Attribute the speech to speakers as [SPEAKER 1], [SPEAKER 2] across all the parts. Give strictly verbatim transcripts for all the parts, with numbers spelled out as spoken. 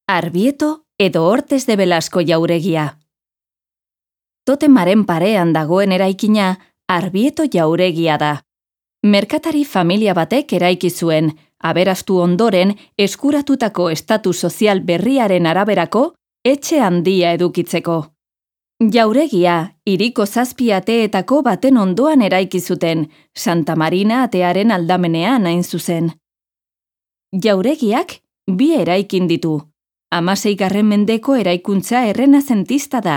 [SPEAKER 1] Arbieto edo Hortes de Velasco jauregia. Totemaren parean dagoen eraikina Arbieto jauregia da. Merkatari familia batek eraiki zuen, aberastu ondoren eskuratutako estatu sozial berriaren araberako etxe handia edukitzeko. Jauregia, hiriko zazpi ateetako baten ondoan eraiki zuten, Santa Marina atearen aldamenean hain zuzen. Jauregiak bi eraikin ditu. Hamaseigarren mendeko eraikuntza errenazentista da,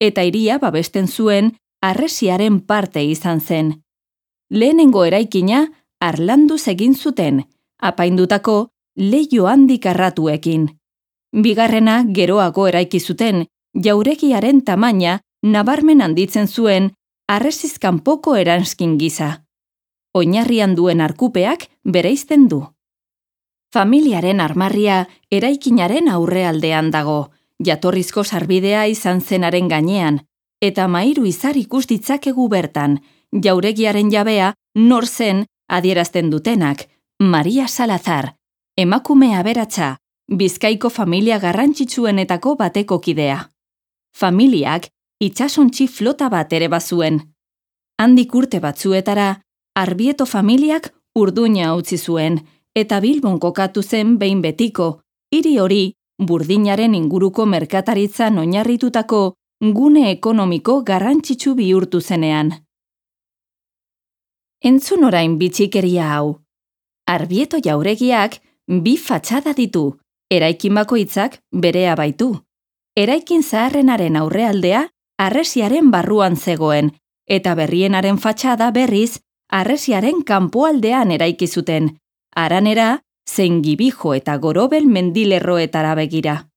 [SPEAKER 1] eta hiria babesten zuen harresiaren parte izan zen. Lehenengo eraikina harlanduz egin zuten, apaindutako leiho handik arratuekin. Bigarrena geroago eraiki zuten, jauregiaren tamaina nabarmen handitzen zuen harresiz kanpoko eranskin gisa. Oinarrian duen arkupeak bereizten du. Familiaren armarria eraikinaren aurrealdean dago, jatorrizko sarbidea izan zenaren gainean, eta mairu izar ikus ditzakegu bertan, jauregiaren jabea nor zen adierazten dutenak, Maria Salazar, emakume aberatsa, Bizkaiko familia garrantzitsuenetako bateko kidea. Familiak itsasontzi flota bat ere bazuen. Handik urte batzuetara, Arbieto familiak Urduña utzi zuen, eta Bilbon kokatu zen behin betiko, hiri hori burdinaren inguruko merkataritzan oinarritutako gune ekonomiko garrantzitsu bihurtu zenean. Entzun orain bitxikeria hau. Arbieto jauregiak bi fatxada ditu, eraikin bakoitzak berea baitu. Eraikin zaharrenaren aurrealdea harresiaren barruan zegoen, eta berrienaren fatxada berriz harresiaren kanpoaldean eraiki zuten, haranera zein Gibijo eta Gorobel mendilerroetara begira.